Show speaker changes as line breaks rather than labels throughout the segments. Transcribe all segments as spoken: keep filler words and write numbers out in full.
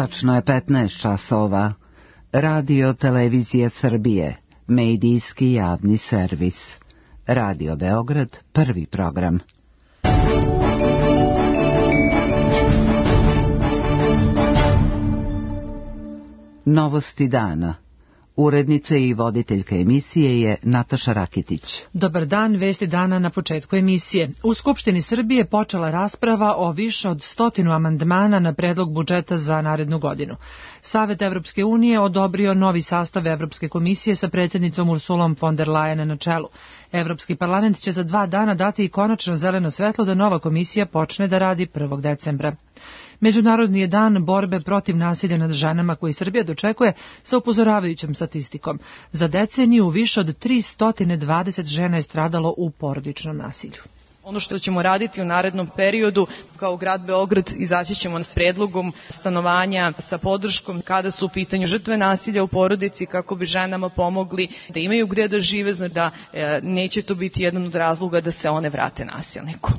Tačno je petnaest časova. Radio Televizija Srbije, medijski javni servis. Radio Beograd, prvi program. Novosti dana. Urednica i voditeljka emisije je Nataša Rakitić.
Dobar dan, vesti dana na početku emisije. U Skupštini Srbije počela rasprava o više od stotinu amandmana na predlog budžeta za narednu godinu. Savet Evropske unije odobrio novi sastav Evropske komisije sa predsjednicom Ursulom von der Leyen na čelu. Evropski parlament će za dva dana dati i konačno zeleno svetlo da nova komisija počne da radi prvog decembra. Međunarodni je dan borbe protiv nasilja nad ženama koji Srbija dočekuje sa upozoravajućom statistikom. Za deceniju više od tristo dvadeset žena je stradalo u porodičnom nasilju.
Ono što ćemo raditi u narednom periodu, kao grad Beograd, izaći ćemo s predlogom stanovanja sa podrškom kada su u pitanju žrtve nasilja u porodici, kako bi ženama pomogli da imaju gde da žive, znači da e, neće to biti jedan od razloga da se one vrate nasilniku.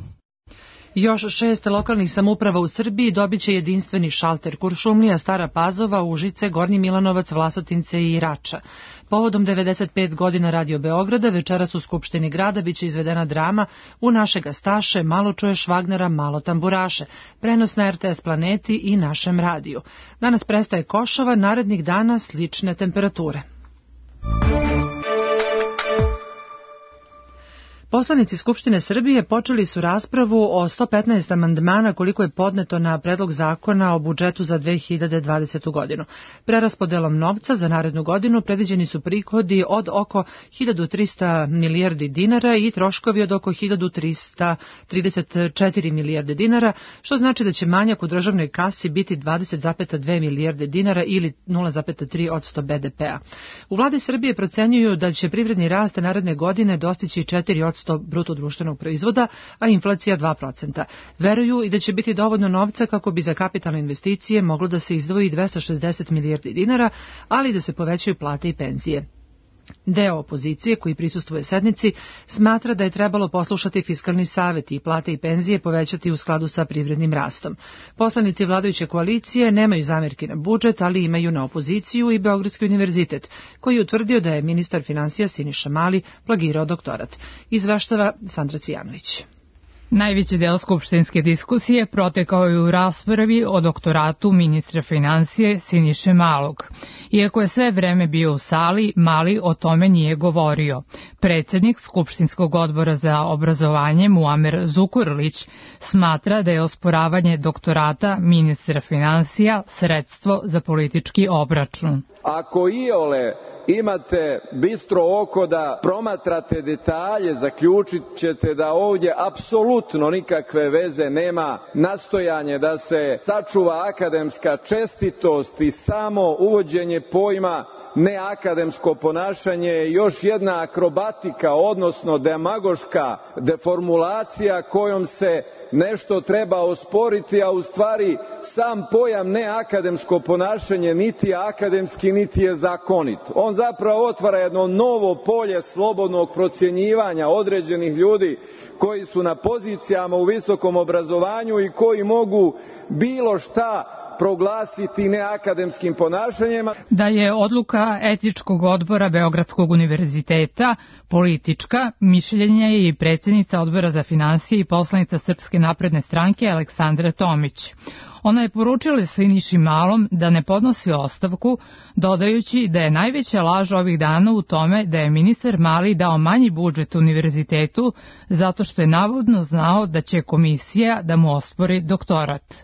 Još šest lokalnih samouprava u Srbiji dobit će jedinstveni šalter: Kuršumlija, Stara Pazova, Užice, Gornji Milanovac, Vlasotince i Rača. Povodom devedeset pet godina Radio Beograda večeras u Skupštini grada biće izvedena drama U našega Staše, malo čuješ Vagnera, malo tamburaše. Prenos na R T S Planeti i našem radiju. Danas prestaje košava, narednih dana slične temperature. Poslanici Skupštine Srbije počeli su raspravu o sto petnaest amandmana koliko je podneto na predlog zakona o budžetu za dve hiljade dvadesetu godinu. Preraspodelom novca za narednu godinu predviđeni su prihodi od oko hiljadu trista milijardi dinara i troškovi od oko hiljadu trista trideset četiri milijarde dinara, što znači da će manjak u državnoj kasi biti dvadeset zarez dve milijarde dinara ili nula zarez tri posto B D P-a. U vladi Srbije procenjuju da će privredni rast naredne godine dostići četiri posto bruto društvenog proizvoda, a inflacija dva procenta. Veruju i da će biti dovoljno novca kako bi za kapitalne investicije moglo da se izdvoji dvesta šezdeset milijardi dinara, ali da se povećaju plate i penzije. Deo opozicije, koji prisustvuje sednici, smatra da je trebalo poslušati Fiskalni savet i plate i penzije povećati u skladu sa privrednim rastom. Poslanici vladajuće koalicije nemaju zamerki na budžet, ali imaju na opoziciju i Beogradski univerzitet, koji je utvrdio da je ministar finansija Siniša Mali plagirao doktorat. Izveštava Sandra Cvijanović.
Najveći deo skupštinske diskusije protekao je u raspravi o doktoratu ministra finansije Siniše Malog. Iako je sve vreme bio u sali, Mali o tome nije govorio. Predsjednik Skupštinskog odbora za obrazovanje Muamer Zukorlić smatra da je osporavanje doktorata ministra finansija sredstvo za politički obračun.
Ako iole imate bistro oko da promatrate detalje, zaključit ćete da ovdje apsolutno nikakve veze nema nastojanje da se sačuva akademska čestitost i samo uvođenje pojma neakademsko ponašanje je još jedna akrobatika, odnosno demagoška deformulacija kojom se nešto treba osporiti, a u stvari sam pojam neakademsko ponašanje niti je akademski, niti je zakonit. On zapravo otvara jedno novo polje slobodnog procjenjivanja određenih ljudi koji su na pozicijama u visokom obrazovanju i koji mogu bilo šta proglasiti neakademskim ponašanjima.
Da je odluka etičkog odbora Beogradskog univerziteta politička, mišljenje je i predsjednica odbora za finansije i poslanica Srpske napredne stranke Aleksandra Tomić. Ona je poručila Siniši Malom da ne podnosi ostavku, dodajući da je najveća laž ovih dana u tome da je ministar Mali dao manji budžet univerzitetu zato što je navodno znao da će komisija da mu ospori doktorat.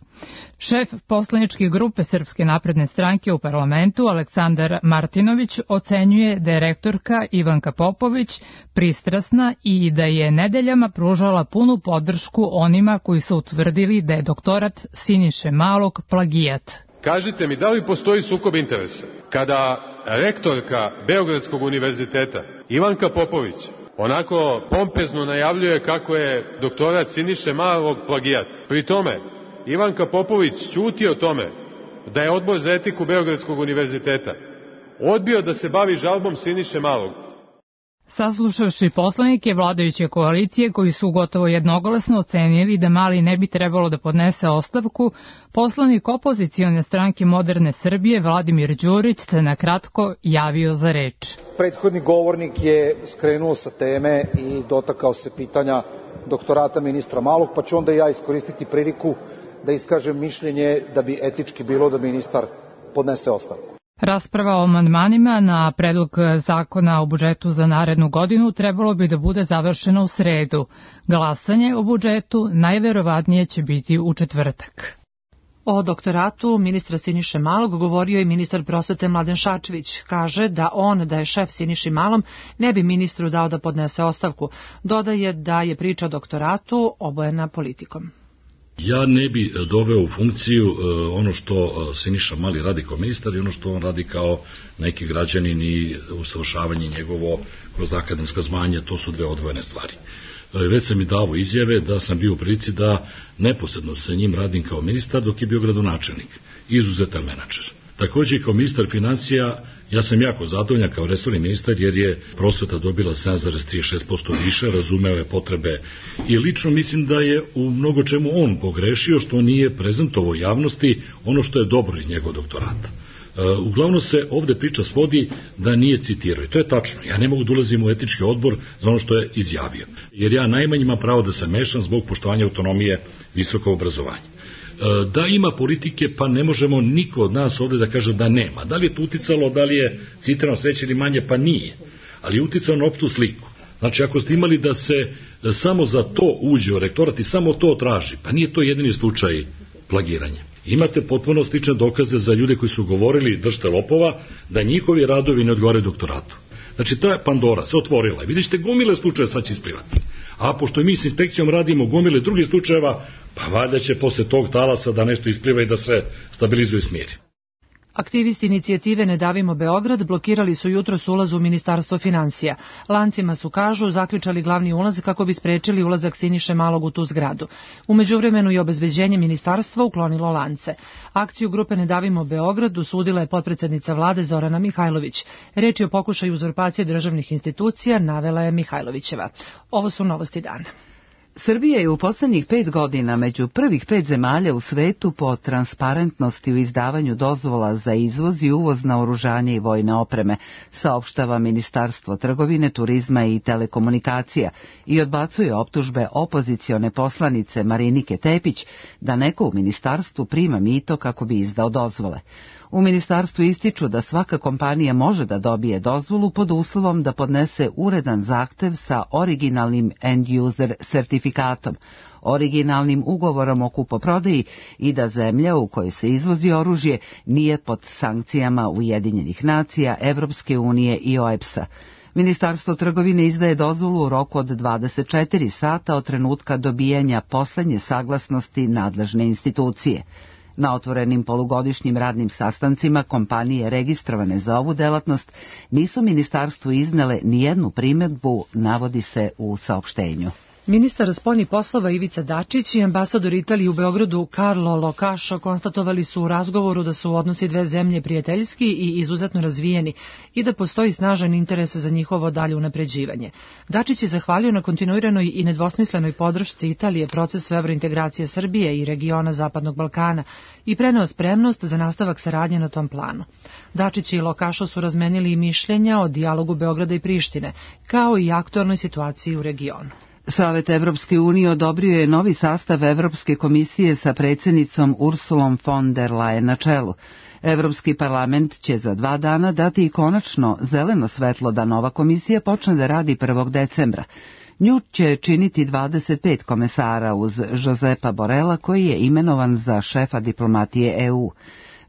Šef poslaničke grupe Srpske napredne stranke u parlamentu Aleksandar Martinović ocenjuje da je rektorka Ivanka Popović pristrasna i da je nedeljama pružala punu podršku onima koji su utvrdili da je doktorat Siniše Malog plagijat.
Kažite mi, da li postoji sukob interesa kada rektorka Beogradskog univerziteta Ivanka Popović onako pompezno najavljuje kako je doktorat Siniše Malog plagijat? Pri tome Ivanka Popović ćuti o tome da je odbor za etiku Beogradskog univerziteta odbio da se bavi žalbom Siniše Malog.
Saslušavši poslanike vladajuće koalicije koji su gotovo jednoglasno ocenili da Mali ne bi trebalo da podnese ostavku, poslanik opozicione stranke Moderne Srbije Vladimir Đurić se na kratko javio za reč.
Prethodni govornik je skrenuo sa teme i dotakao se pitanja doktorata ministra Malog, pa ću onda ja iskoristiti priliku da iskažem mišljenje da bi etički bilo da ministar podnese ostavku.
Rasprava o amandmanima na predlog zakona o budžetu za narednu godinu trebalo bi da bude završena u sredu. Glasanje o budžetu najverovatnije će biti u četvrtak.
O doktoratu ministra Siniše Malog govorio i ministar prosvete Mladen Šarčević. Kaže da on, da je šef Siniši Malom, ne bi ministru dao da podnese ostavku. Dodaje da je priča o doktoratu obojena politikom.
Ja ne bi doveo u funkciju ono što Siniša Mali radi kao ministar i ono što on radi kao neki građanin i usavršavanje njegovo kroz akademska zvanja, to su dve odvojene stvari. Već sam i davo izjave da sam bio u prilici da neposredno sa njim radim kao ministar dok je bio gradonačelnik, izuzetan menadžer. Takođe kao ministar financija ja sam jako zadovoljan kao resorni ministar jer je prosveta dobila sedam zarez trideset šest posto više, razumeo je potrebe i lično mislim da je u mnogo čemu on pogrešio što nije prezentovao javnosti ono što je dobro iz njegovog doktorata. Uglavnom se ovde priča svodi da nije citirao i to je tačno. Ja ne mogu da ulazim u etički odbor za ono što je izjavio, jer ja najmanje imam pravo da se mešam zbog poštovanja autonomije visokog obrazovanja. Da ima politike, pa ne možemo niko od nas ovde da kaže da nema. Da li je to uticalo, da li je citirano sveće ili manje, pa nije. Ali je uticalo na opštu sliku. Znači, ako ste imali da se da samo za to uđe u rektorat i samo to traži, pa nije to jedini slučaj plagiranja. Imate potpuno slične dokaze za ljude koji su govorili držite lopova, da njihovi radovi ne odgovaraju doktoratu. Znači, ta Pandora se otvorila i vidite gomile slučaje sad će isplivati. A pošto mi s inspekcijom radimo gomile drugih slučajeva, pa valjda će posle tog talasa da nešto ispliva i da se stabilizuje i smiri.
Aktivisti inicijative Ne davimo Beograd blokirali su jutros ulaz u Ministarstvo financija. Lancima su, kažu, zaključali glavni ulaz kako bi sprečili ulazak Siniše Malog u tu zgradu. U međuvremenu i obezbeđenje ministarstva uklonilo lance. Akciju grupe Ne davimo Beograd usudila je potpredsednica vlade Zorana Mihajlović. Reč je o pokušaju uzurpacije državnih institucija, navela je Mihajlovićeva. Ovo su novosti dana.
Srbija je u poslednjih pet godina među prvih pet zemalja u svetu po transparentnosti u izdavanju dozvola za izvoz i uvoz naoružanja i vojne opreme, saopštava Ministarstvo trgovine, turizma i telekomunikacija i odbacuje optužbe opozicione poslanice Marinike Tepić da neko u ministarstvu prima mito kako bi izdao dozvole. U ministarstvu ističu da svaka kompanija može da dobije dozvolu pod uslovom da podnese uredan zahtev sa originalnim end-user sertifikatom, originalnim ugovorom o kupoprodaji i da zemlja u kojoj se izvozi oružje nije pod sankcijama Ujedinjenih nacija, Evropske unije i O E B S-a. Ministarstvo trgovine izdaje dozvolu u roku od dvadeset četiri sata od trenutka dobijanja poslednje saglasnosti nadležne institucije. Na otvorenim polugodišnjim radnim sastancima kompanije registrovane za ovu delatnost nisu ministarstvu iznele nijednu primedbu, navodi se u saopštenju.
Ministar spoljnih poslova Ivica Dačić i ambasador Italije u Beogradu Carlo Locašo konstatovali su u razgovoru da su odnosi dve zemlje prijateljski i izuzetno razvijeni i da postoji snažan interes za njihovo dalje unapređivanje. Dačić je zahvalio na kontinuiranoj i nedvosmislenoj podršci Italije procesu evrointegracije Srbije i regiona Zapadnog Balkana i preneo spremnost za nastavak saradnje na tom planu. Dačić i Locašo su razmenili i mišljenja o dijalogu Beograda i Prištine, kao i aktualnoj situaciji u regionu.
Savet Evropske unije odobrio je novi sastav Evropske komisije sa predsjednicom Ursulom von der Leyen na čelu. Evropski parlament će za dva dana dati i konačno zeleno svetlo da nova komisija počne da radi prvog decembra. Nju će činiti dvadeset pet komesara uz Josepa Borela koji je imenovan za šefa diplomatije E U.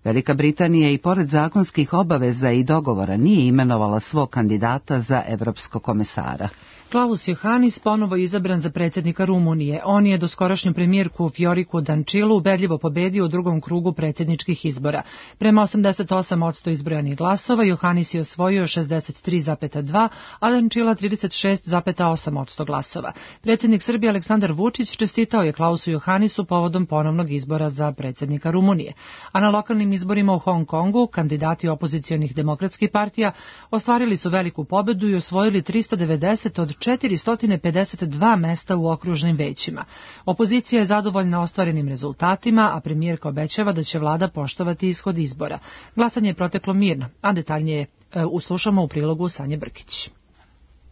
Velika Britanija i pored zakonskih obaveza i dogovora nije imenovala svog kandidata za evropskog komesara.
Klaus Johannis ponovo je izabran za predsjednika Rumunije. On je doskorašnju premijerku Vioriku Dančilu ubedljivo pobedio u drugom krugu predsjedničkih izbora. Prema osamdeset osam posto izbrojanih glasova, Johannis je osvojio šezdeset tri zarez dva, a Dančila trideset šest zarez osam posto glasova. Predsjednik Srbije Aleksandar Vučić čestitao je Klausu Johannisu povodom ponovnog izbora za predsjednika Rumunije. A na lokalnim izborima u Hong Kongu kandidati opozicionih demokratskih partija ostvarili su veliku pobedu i osvojili trista devedeset od četiristo pedeset dva mesta u okružnim većima. Opozicija je zadovoljna ostvarenim rezultatima, a premijerka obećava da će vlada poštovati ishod izbora. Glasanje je proteklo mirno, a detaljnije e, uslušamo u prilogu Sanje Brkić.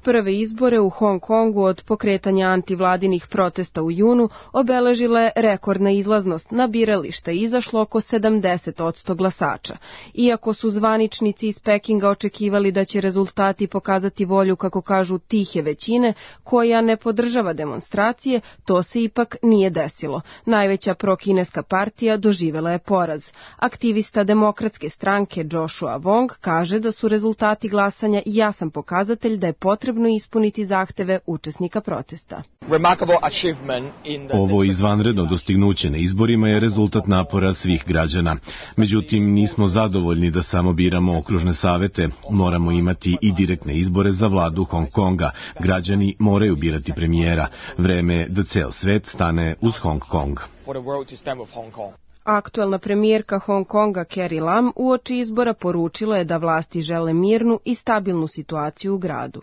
Prve izbore u Hong Kongu od pokretanja antivladinih protesta u junu obeležila je rekordna izlaznost. Na biralište izašlo oko sedamdeset posto glasača. Iako su zvaničnici iz Pekinga očekivali da će rezultati pokazati volju, kako kažu, tihe većine, koja ne podržava demonstracije, to se ipak nije desilo. Najveća prokineska partija doživela je poraz. Aktivista demokratske stranke Joshua Wong kaže da su rezultati glasanja jasan pokazatelj da je potrebno ispuniti zahteve učesnika protesta.
Ovo izvanredno dostignuće na izborima je rezultat napora svih građana. Međutim, nismo zadovoljni da samo biramo okružne savete. Moramo imati i direktne izbore za vladu Hong Konga. Građani moraju birati premijera. Vreme je da ceo svet stane uz Hong Kong.
Aktuelna premijerka Hong Konga Carrie Lam uoči izbora poručila je da vlasti žele mirnu i stabilnu situaciju u gradu.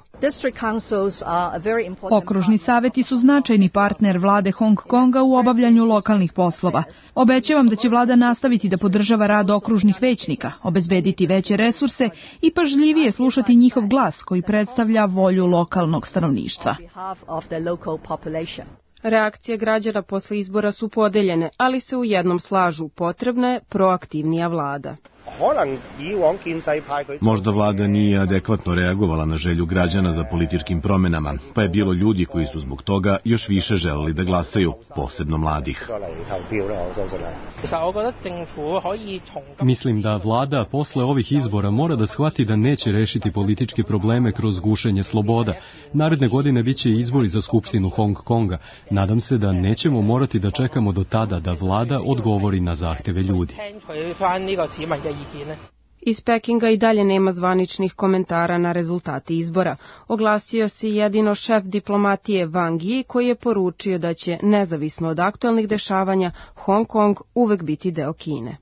Okružni saveti su značajni partner vlade Hong Konga u obavljanju lokalnih poslova. Obećavam da će vlada nastaviti da podržava rad okružnih većnika, obezbediti veće resurse i pažljivije slušati njihov glas koji predstavlja volju lokalnog stanovništva.
Reakcije građana posle izbora su podeljene, ali se u jednom slažu, potrebna je proaktivnija vlada.
Možda vlada nije adekvatno reagovala na želju građana za političkim promenama, pa je bilo ljudi koji su zbog toga još više želeli da glasaju, posebno mladih.
Mislim da vlada posle ovih izbora mora da shvati da neće rešiti političke probleme kroz gušenje sloboda. Naredne godine biće izbori za Skupštinu Hong Konga. Nadam se da nećemo morati da čekamo do tada da vlada odgovori na zahteve ljudi.
Iz Pekinga i dalje nema zvaničnih komentara na rezultate izbora. Oglasio se jedino šef diplomatije Wang Yi, koji je poručio da će, nezavisno od aktuelnih dešavanja, Hong Kong uvek biti deo Kine.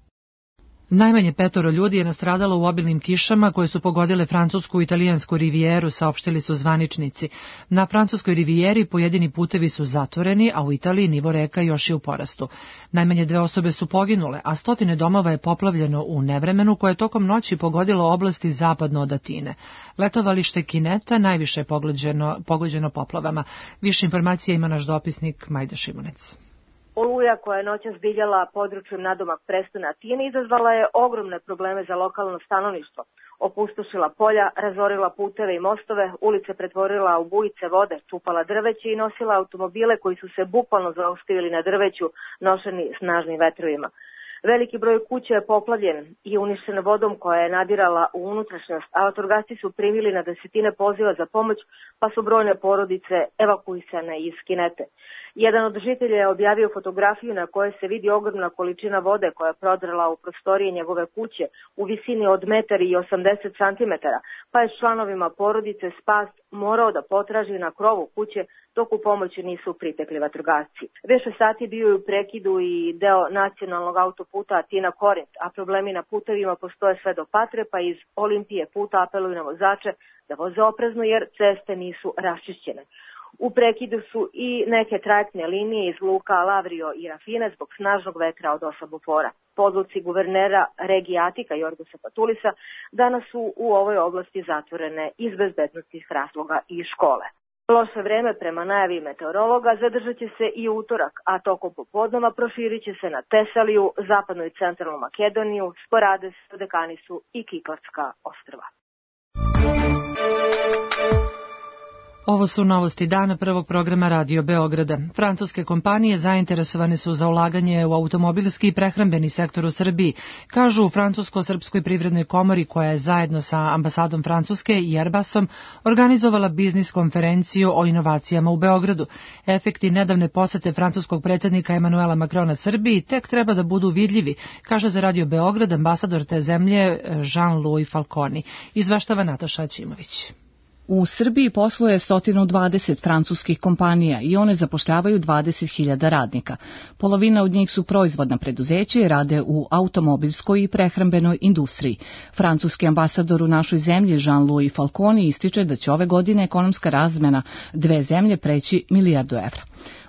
Najmanje petoro ljudi je nastradalo u obilnim kišama koje su pogodile francusku i italijansku rivijeru, saopštili su zvaničnici. Na francuskoj rivijeri pojedini putevi su zatvoreni, a u Italiji nivo reka još je u porastu. Najmanje dve osobe su poginule, a stotine domova je poplavljeno u nevremenu koje je tokom noći pogodilo oblasti zapadno od Atine. Letovalište Kineta najviše je pogođeno, pogođeno poplavama. Više informacija ima naš dopisnik Majda Šimunec.
Oluja koja je noćas divljala područjem nadomak prestona Atine izazvala je ogromne probleme za lokalno stanovništvo. Opustošila polja, razorila puteve i mostove, ulice pretvorila u bujice vode, čupala drveće i nosila automobile koji su se bukvalno zaustavili na drveću, nošeni snažnim vetrovima. Veliki broj kuća je poplavljen i uništen vodom koja je nadirala u unutrašnjost, a vatrogasci su primili na desetine poziva za pomoć, pa su brojne porodice evakuisane iz Kinete. Jedan od žitelja je objavio fotografiju na kojoj se vidi ogromna količina vode koja je prodrla u prostorije njegove kuće u visini od metar i osamdeset centimetara, pa je s članovima porodice spas morao da potraži na krovu kuće dok u pomoći nisu pritekli vatrogasci. Više sati bio je u prekidu i deo nacionalnog autoputa Atina-Korint, a problemi na putevima postoje sve do Patre, pa iz Olimpije puta apeluju na vozače da voze oprezno jer ceste nisu raščišćene. U prekidu su i neke trajektne linije iz luka Lavrio i Rafine zbog snažnog vetra od osam bufora. Po odluci guvernera regije Atika Jorgosa Patulisa danas su u ovoj oblasti zatvorene iz bezbednostnih razloga i škole. Loše vreme prema najavi meteorologa zadržat će se i utorak, a tokom popodneva proširit će se na Tesaliju, zapadnu i centralnu Makedoniju, Sporades, Dekanisu i Kiklavska ostrva.
Ovo su novosti dana prvog programa Radio Beograda. Francuske kompanije zainteresovane su za ulaganje u automobilski i prehrambeni sektor u Srbiji, kažu u Francusko-srpskoj privrednoj komori koja je zajedno sa ambasadom Francuske i Airbusom organizovala biznis konferenciju o inovacijama u Beogradu. Efekti nedavne posete francuskog predsjednika Emanuela Macrona Srbiji tek treba da budu vidljivi, kaže za Radio Beograd ambasador te zemlje Jean-Louis Falconi. Izveštava Nataša Ćimović.
U Srbiji posluje sto dvadeset francuskih kompanija i one zapošljavaju dvadeset hiljada radnika. Polovina od njih su proizvodna preduzeća i rade u automobilskoj i prehrambenoj industriji. Francuski ambasador u našoj zemlji Jean-Louis Falconi ističe da će ove godine ekonomska razmena dve zemlje preći milijardu evra.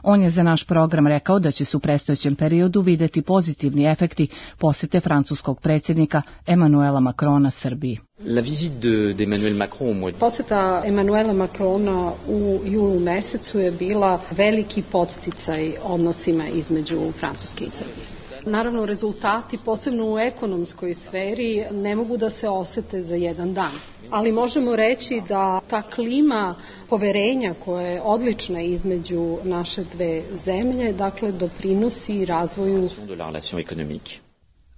On je za naš program rekao da će se u predstojećem periodu videti pozitivni efekti posete francuskog predsjednika Emanuela Macrona Srbiji.
La visite d'Emmanuel Macron au mois de...
Poseta Emanuela Macrona u julu mesecu je bila veliki podsticaj odnosima između Francuske i Srbije. Naravno, rezultati, posebno u ekonomskoj sferi, ne mogu da se osete za jedan dan. Ali možemo reći da ta klima poverenja koja je odlična između naše dve zemlje, dakle, doprinosi razvoju.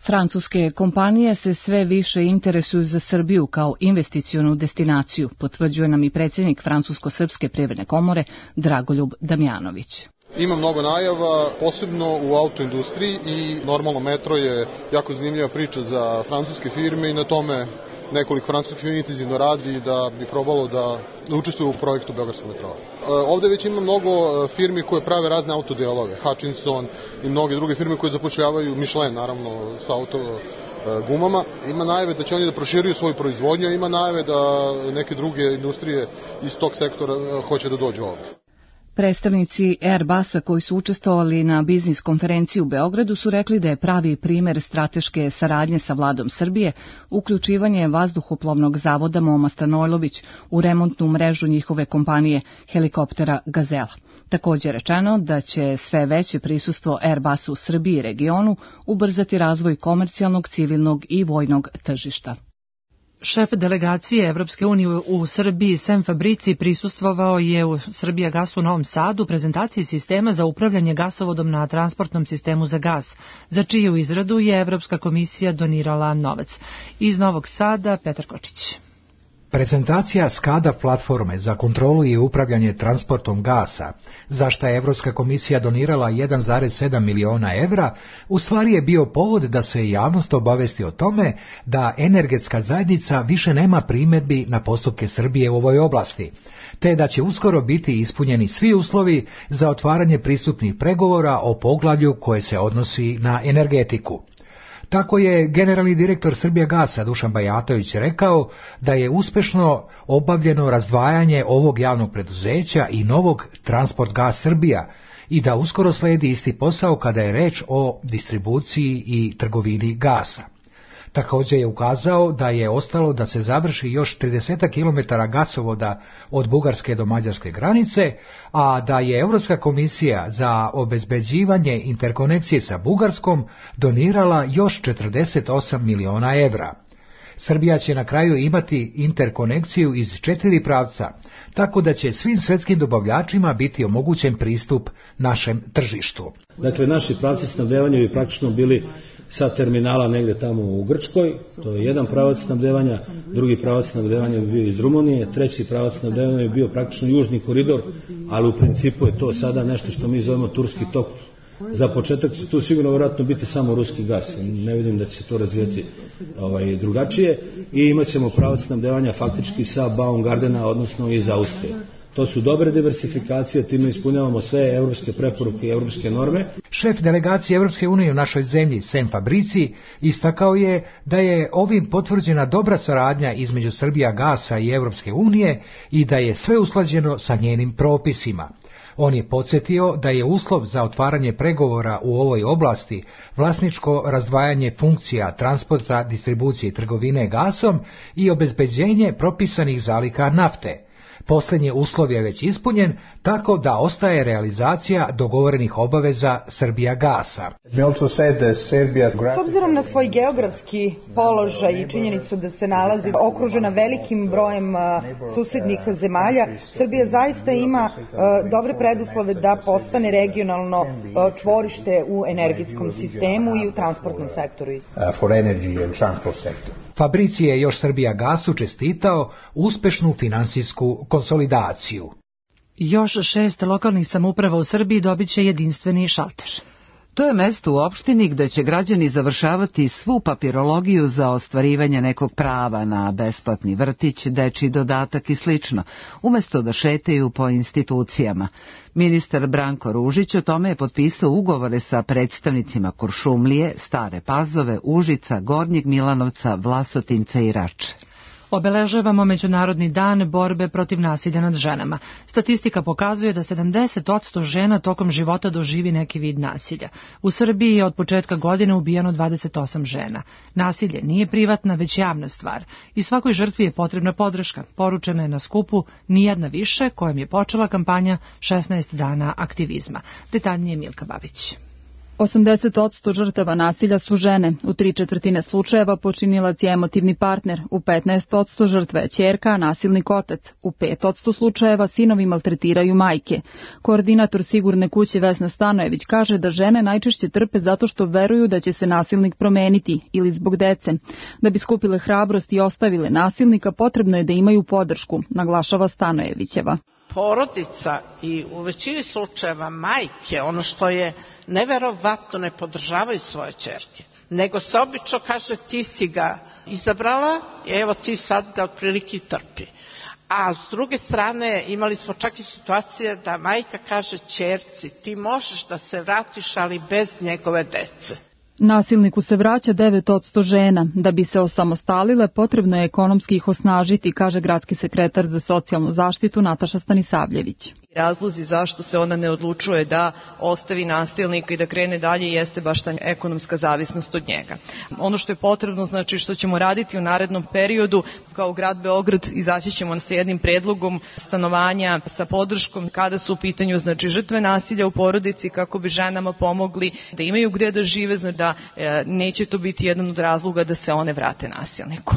Francuske kompanije se sve više interesuju za Srbiju kao investicionu destinaciju, potvrđuje nam i predsjednik Francusko-srpske privredne komore Dragoljub Damjanović.
Ima mnogo najava, posebno u autoindustriji i normalno metro je jako zanimljiva priča za francuske firme i na tome nekoliko francuskih firmi intenzivno radi da bi probalo da učestvuju u projektu Beogradskog metroa. Ovde već ima mnogo firmi koje prave razne autodelove, Hutchinson i mnoge druge firme koje zapošljavaju, Michelin naravno sa auto gumama. Ima najave da će oni da proširuju svoju proizvodnju, ima najave da neke druge industrije iz tog sektora hoće da dođu ovde.
Predstavnici Airbusa koji su učestvovali na biznis konferenciji u Beogradu su rekli da je pravi primer strateške saradnje sa vladom Srbije uključivanje vazduhoplovnog zavoda Moma Stanojlović u remontnu mrežu njihove kompanije helikoptera Gazela. Također je rečeno da će sve veće prisustvo Airbusa u Srbiji i regionu ubrzati razvoj komercijalnog, civilnog i vojnog tržišta.
Šef delegacije Evropske unije u Srbiji Sem Fabrici prisustvovao je u Srbijagasu u Novom Sadu prezentaciji sistema za upravljanje gasovodom na transportnom sistemu za gas, za čiju izradu je Evropska komisija donirala novac. Iz Novog Sada Petar Kočić.
Prezentacija SCADA platforme za kontrolu i upravljanje transportom gasa, za što je Evropska komisija donirala jedan zarez sedam miliona evra, u stvari je bio povod da se javnost obavesti o tome da energetska zajednica više nema primjedbi na postupke Srbije u ovoj oblasti, te da će uskoro biti ispunjeni svi uslovi za otvaranje pristupnih pregovora o poglavlju koje se odnosi na energetiku. Tako je generalni direktor Srbijagasa Dušan Bajatović rekao da je uspešno obavljeno razdvajanje ovog javnog preduzeća i novog Transport Gas Srbija i da uskoro sledi isti posao kada je reč o distribuciji i trgovini gasa. Također je ukazao da je ostalo da se završi još trideset kilometara gasovoda od bugarske do mađarske granice, a da je Evropska komisija za obezbeđivanje interkonekcije sa Bugarskom donirala još četrdeset osam miliona evra. Srbija će na kraju imati interkonekciju iz četiri pravca, tako da će svim svetskim dobavljačima biti omogućen pristup našem tržištu.
Dakle, naši pravci snabdevanja bi praktično bili sa terminala negde tamo u Grčkoj, to je jedan pravac snabdevanja, drugi pravac snabdevanja bi bio iz Rumunije, treći pravac snabdevanja bi bio praktično južni koridor, ali u principu je to sada nešto što mi zovemo Turski tok. Za početak će tu sigurno vjerojatno biti samo ruski gas, ne vidim da će se to razvijeti ovaj, drugačije i imat ćemo pravac snabdevanja faktički sa Baumgardena, odnosno iz Austrije. To su dobre diversifikacije, time ispunjavamo sve evropske preporuke i evropske norme.
Šef delegacije Evropske unije u našoj zemlji, Sem Fabrici, istakao je da je ovim potvrđena dobra saradnja između Srbijagasa i Evropske unije i da je sve usklađeno sa njenim propisima. On je podsjetio da je uslov za otvaranje pregovora u ovoj oblasti vlasničko razdvajanje funkcija transporta, distribucije i trgovine gasom i obezbeđenje propisanih zaliha nafte. Posljednji uslov je već ispunjen, tako da ostaje realizacija dogovorenih obaveza Srbijagasa.
S obzirom na svoj geografski položaj i činjenicu da se nalazi okružena velikim brojem susednih zemalja, Srbija zaista ima dobre preduslove da postane regionalno čvorište u energetskom sistemu i u transportnom sektoru.
Fabrici je još Srbijagasu čestitao uspešnu finansijsku konsolidaciju.
Još šest lokalnih samouprava u Srbiji dobit će jedinstveni šalter.
To je mesto u opštini gde će građani završavati svu papirologiju za ostvarivanje nekog prava na besplatni vrtić, dečiji dodatak i slično, umesto da šetaju po institucijama. Ministar Branko Ružić o tome je potpisao ugovore sa predstavnicima Kuršumlije, Stare Pazove, Užica, Gornjeg Milanovca, Vlasotinca i Rače.
Obeležavamo Međunarodni dan borbe protiv nasilja nad ženama. Statistika pokazuje da sedamdeset posto žena tokom života doživi neki vid nasilja. U Srbiji je od početka godine ubijeno dvadeset osam žena. Nasilje nije privatna, već javna stvar. I svakoj žrtvi je potrebna podrška. Poručena je na skupu Nijedna više, kojom je počela kampanja šesnaest dana aktivizma. Detaljnije Milka Babić.
osamdeset posto žrtava nasilja su žene, u tri četvrtine slučajeva počinilac je emotivni partner, u petnaest posto žrtva je ćerka, a nasilnik otac, u pet posto slučajeva sinovi maltretiraju majke. Koordinator Sigurne kuće Vesna Stanojević kaže da žene najčešće trpe zato što veruju da će se nasilnik promeniti ili zbog dece. Da bi skupile hrabrost i ostavile nasilnika, potrebno je da imaju podršku, naglašava Stanojevićeva.
Porodica i u većini slučajeva majke, ono što je neverovatno, ne podržavaju svoje ćerke, nego se obično kaže ti si ga izabrala, evo ti sad ga otprilike trpi. A s druge strane imali smo čak i situacije da majka kaže ćerci ti možeš da se vratiš, ali bez njegove dece.
Nasilniku se vraća devet posto žena. Da bi se osamostalile, potrebno je ekonomski ih osnažiti, kaže gradski sekretar za socijalnu zaštitu Nataša Stanisavljević.
Razlozi zašto se ona ne odlučuje da ostavi nasilnika i da krene dalje jeste baš ta ekonomska zavisnost od njega. Ono što je potrebno, znači što ćemo raditi u narednom periodu, kao grad Beograd izaći ćemo sa jednim predlogom stanovanja sa podrškom kada su u pitanju znači žrtve nasilja u porodici, kako bi ženama pomogli da imaju gde da žive, znači da e, neće to biti jedan od razloga da se one vrate nasilniku.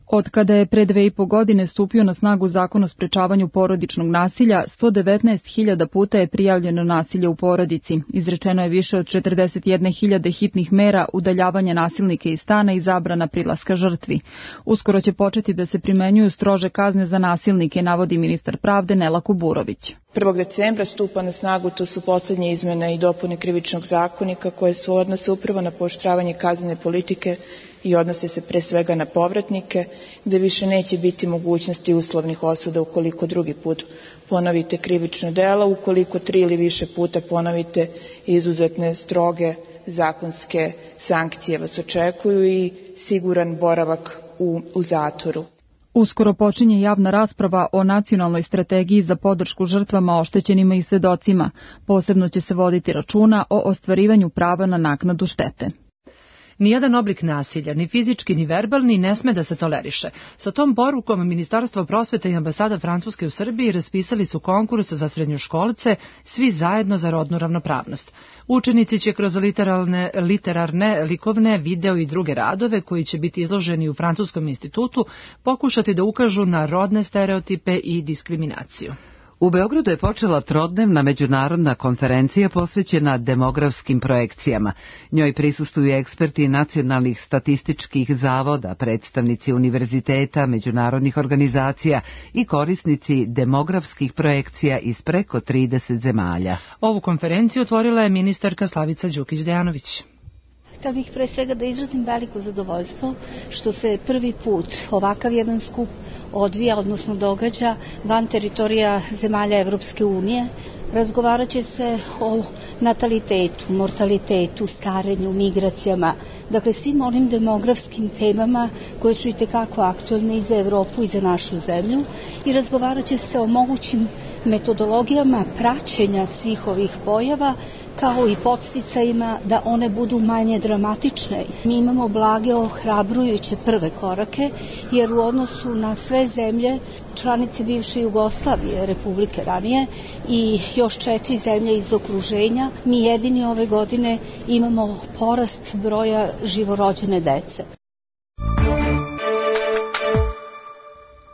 Od kada je pre dve i po godine stupio na snagu Zakon o sprečavanju porodičnog nasilja, sto devetnaest hiljada puta je prijavljeno nasilje u porodici. Izrečeno je više od četrdeset jedne hiljade hitnih mera udaljavanja nasilnika iz stana i zabrana prilaska žrtvi. Uskoro će početi da se primenjuju strože kazne za nasilnike, navodi ministar pravde Nela Kuburović.
prvog decembra stupa na snagu, to su poslednje izmene i dopune Krivičnog zakonika koje su odnose upravo na pooštravanje kaznene politike i odnose se pre svega na povratnike, gde više neće biti mogućnosti uslovnih osuda ukoliko drugi put ponovite krivično delo, ukoliko tri ili više puta ponovite izuzetne stroge zakonske sankcije vas očekuju i siguran boravak u, u zatvoru.
Uskoro počinje javna rasprava o nacionalnoj strategiji za podršku žrtvama, oštećenima i svedocima. Posebno će se voditi računa o ostvarivanju prava na naknadu štete.
Nijedan oblik nasilja, ni fizički ni verbalni, ne sme da se toleriše. Sa tom porukom Ministarstvo prosvete i ambasada Francuske u Srbiji raspisali su konkurs za srednjoškolce Svi zajedno za rodnu ravnopravnost. Učenici će kroz literarne, literarne, likovne, video i druge radove koji će biti izloženi u Francuskom institutu pokušati da ukažu na rodne stereotipe i diskriminaciju.
U Beogradu je počela trodnevna međunarodna konferencija posvećena demografskim projekcijama. Njoj prisustvuju eksperti nacionalnih statističkih zavoda, predstavnici univerziteta, međunarodnih organizacija i korisnici demografskih projekcija iz preko trideset zemalja.
Ovu konferenciju otvorila je ministarka Slavica Đukić-Dejanović.
Htela bih pre svega da izrazim veliko zadovoljstvo što se prvi put ovakav jedan skup odvija, odnosno događa van teritorija zemalja Evropske unije. Razgovarat će se o natalitetu, mortalitetu, starenju, migracijama, dakle svim onim demografskim temama koje su i tekako aktualne i za Evropu i za našu zemlju, i razgovarat će se o mogućim metodologijama praćenja svih ovih pojava, kao i podsticajima da one budu manje dramatične. Mi imamo blage ohrabrujuće prve korake, jer u odnosu na sve zemlje, članice bivše Jugoslavije, Republike ranije, i još četiri zemlje iz okruženja, mi jedini ove godine imamo porast broja živorođene dece.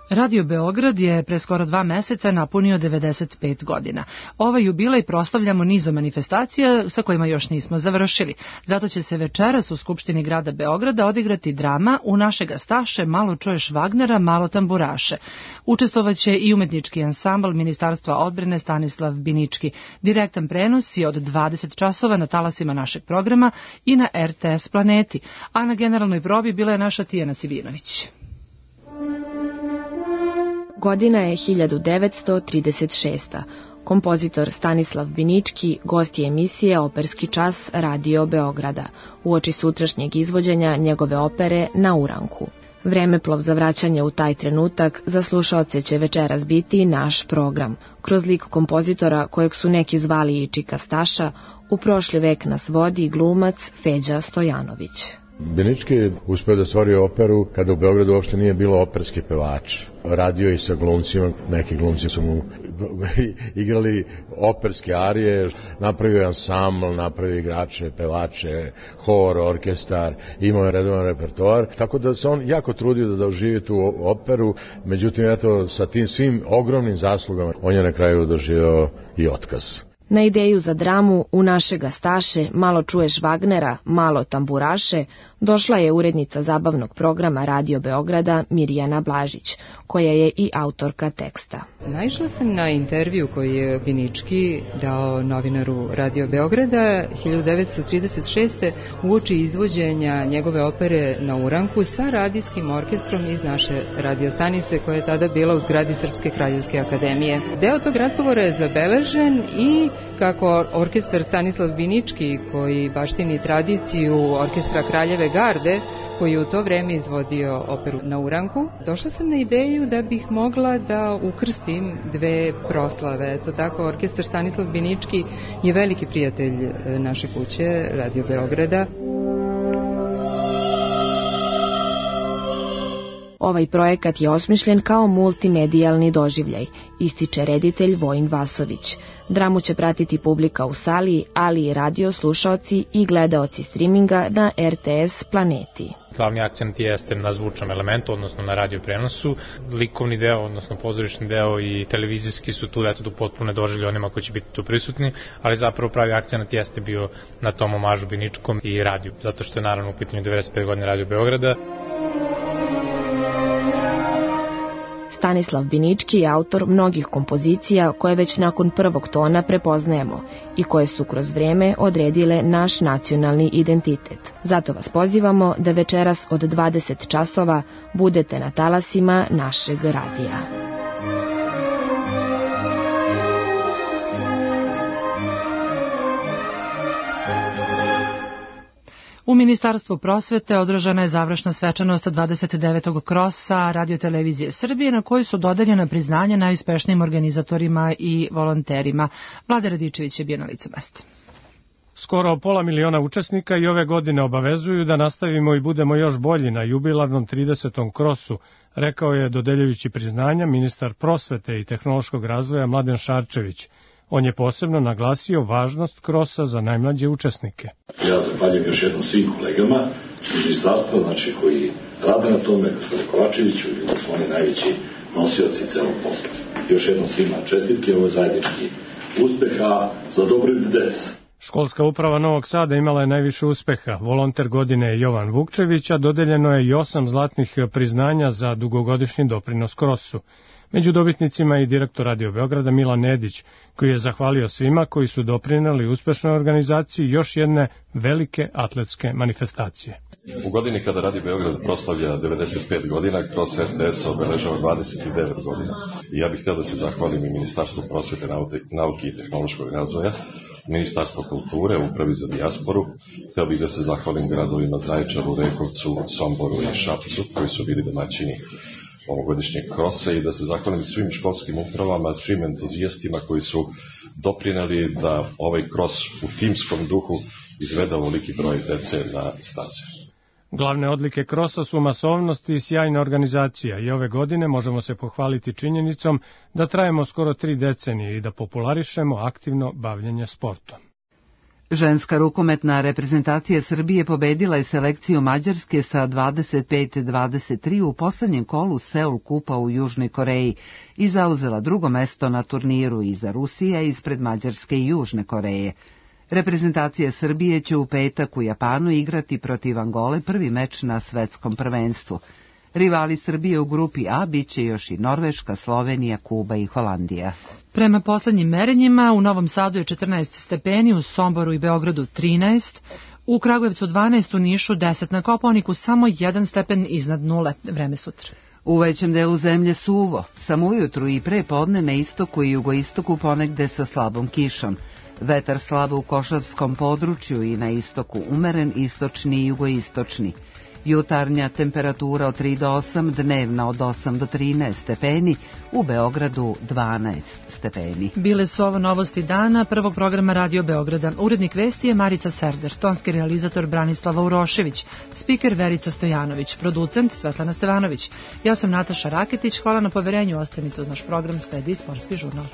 Radio Beograd je pre skoro dva meseca napunio devedeset pet godina. Ovaj jubilej proslavljamo nizom manifestacija sa kojima još nismo završili. Zato će se večeras u Skupštini grada Beograda odigrati drama U naše gastaše, malo čuješ Wagnera, malo tamburaše. Učestvovaće i umetnički ansambl Ministarstva odbrane Stanislav Binički. Direktan prenos je od dvadeset časova na talasima našeg programa i na R T S Planeti. A na generalnoj probi bila je naša Tijana Sivinović.
Godina je hiljadu devetsto trideset šesta. Kompozitor Stanislav Binički gost je emisije Operski čas Radio Beograda, uoči sutrašnjeg izvođenja njegove opere Na uranku. Vremeplov za vraćanje u taj trenutak za slušaoce će večeras biti naš program, kroz lik kompozitora kojeg su neki zvali i Čika Staša, u prošli vek nas vodi glumac Feđa Stojanović.
Binički je uspeo da stvori operu kada u Beogradu uopšte nije bilo operski pevač. Radio i sa glumcima, neki glumci su mu igrali operske arije, napravio ansambl, napravio igrače, pevače, hor, orkestar, imao je redovan repertoar, tako da se on jako trudio da doživi tu operu, međutim, eto, sa tim svim ogromnim zaslugama, on je na kraju doživio i otkaz.
Na ideju za dramu U naše gastaše, malo čuješ Wagnera, malo tamburaše, došla je urednica zabavnog programa Radio Beograda Mirjana Blažić, koja je i autorka teksta.
Naišla sam na intervju koji je Binički dao novinaru Radio Beograda hiljadu devetsto trideset šeste uoči izvođenja njegove opere Na uranku sa radijskim orkestrom iz naše radiostanice koja je tada bila u zgradi Srpske kraljevske akademije. Deo tog razgovora je zabeležen i kako orkestar Stanislav Binički, koji baštini tradiciju orkestra Kraljeve garde, koji je u to vreme izvodio operu Na uranku, došla sam na ideju da bih mogla da ukrstim dve proslave. To tako, orkestar Stanislav Binički je veliki prijatelj naše kuće, Radio Beograda.
Ovaj projekat je osmišljen kao multimedijalni doživljaj, ističe reditelj Vojin Vasović. Dramu će pratiti publika u sali, ali i radio slušaoci i gledaoci streaminga na R T S Planeti.
Glavni akcent jeste na zvučnom elementu, odnosno na radio prenosu. Likovni deo, odnosno pozorišni deo i televizijski su tu, eto, do potpune doživlje onima koji će biti tu prisutni, ali zapravo pravi akcent jeste bio na tom omažu Biničkom i radiju, zato što je naravno u pitanju devedeset pet godine Radio Beograda.
Stanislav Binički je autor mnogih kompozicija koje već nakon prvog tona prepoznajemo i koje su kroz vreme odredile naš nacionalni identitet. Zato vas pozivamo da večeras od dvadeset časova budete na talasima našeg radija.
U Ministarstvu prosvete održana je završna svečanost dvadeset devetog krosa Radio-televizije Srbije, na kojoj su dodeljena priznanja najuspešnijim organizatorima i volonterima. Vlada Radičević je bio na licu mesta.
Skoro pola miliona učesnika i ove godine obavezuju da nastavimo i budemo još bolji na jubilarnom tridesetom krosu, rekao je dodeljujući priznanja ministar prosvete i tehnološkog razvoja Mladen Šarčević. On je posebno naglasio važnost krosa za najmlađe učesnike.
Ja zahvaljujem još jednom svim kolegama iz ministarstva, znači koji rade na tome, gospodine Kovačeviću, ili su oni najveći nosioci celog posla. Još jednom svima čestitke, ovo je zajednički uspeha za dobrobit dece.
Školska uprava Novog Sada imala je najviše uspeha. Volonter godine je Jovan Vukčević, a dodeljeno je i osam zlatnih priznanja za dugogodišnji doprinos krosu. Među dobitnicima je i direktor Radio Beograda Milan Nedić, koji je zahvalio svima koji su doprineli uspešnoj organizaciji još jedne velike atletske manifestacije.
U godini kada Radio Beograd proslavlja devedeset pet godina, kroz R T S obeležava dvadeset devet godina. I ja bih htio da se zahvalim i Ministarstvu prosvete, nauke i tehnološkog razvoja, Ministarstvo kulture, Upravi za dijasporu. Htio bih da se zahvalim gradovima Zaječaru, Rekovcu, Somboru i Šapcu, koji su bili domaćini ovogodišnjeg krosa, i da se zahvalim svim školskim upravama, svim entuzijastima koji su doprineli da ovaj kros u timskom duhu izvede ovoliki broj dece na staze.
Glavne odlike krosa su masovnost i sjajna organizacija i ove godine možemo se pohvaliti činjenicom da trajemo skoro tri decenije i da popularišemo aktivno bavljenje sportom.
Ženska rukometna reprezentacija Srbije pobedila je selekciju Mađarske sa dvadeset pet dvadeset tri u poslednjem kolu Seul kupa u Južnoj Koreji i zauzela drugo mesto na turniru iza Rusije ispred Mađarske i Južne Koreje. Reprezentacija Srbije će u petak u Japanu igrati protiv Angole prvi meč na svetskom prvenstvu. Rivali Srbije u grupi A biće još i Norveška, Slovenija, Kuba i Holandija.
Prema poslednjim merenjima u Novom Sadu je četrnaest stepeni, u Somboru i Beogradu trinaest, u Kragujevcu dvanaest, u Nišu deset, na Kopaoniku samo jedan stepen iznad nule. Vreme sutra.
U većem delu zemlje suvo, samo ujutru i pre podne na istoku i jugoistoku ponegde sa slabom kišom. Vetar slabo u Košavskom području i na istoku umeren, istočni i jugoistočni. Jutarnja temperatura od tri do osam, dnevna od osam do trinaest stepeni, u Beogradu dvanaest stepeni.
Bile su ovo novosti dana prvog programa Radio Beograda. Urednik vesti je Marica Serder, tonski realizator Branislava Urošević, spiker Verica Stojanović, producent Svetlana Stevanović. Ja sam Nataša Raketić, hvala na poverenju, ostanite uz naš program, sledi Sportski žurnal.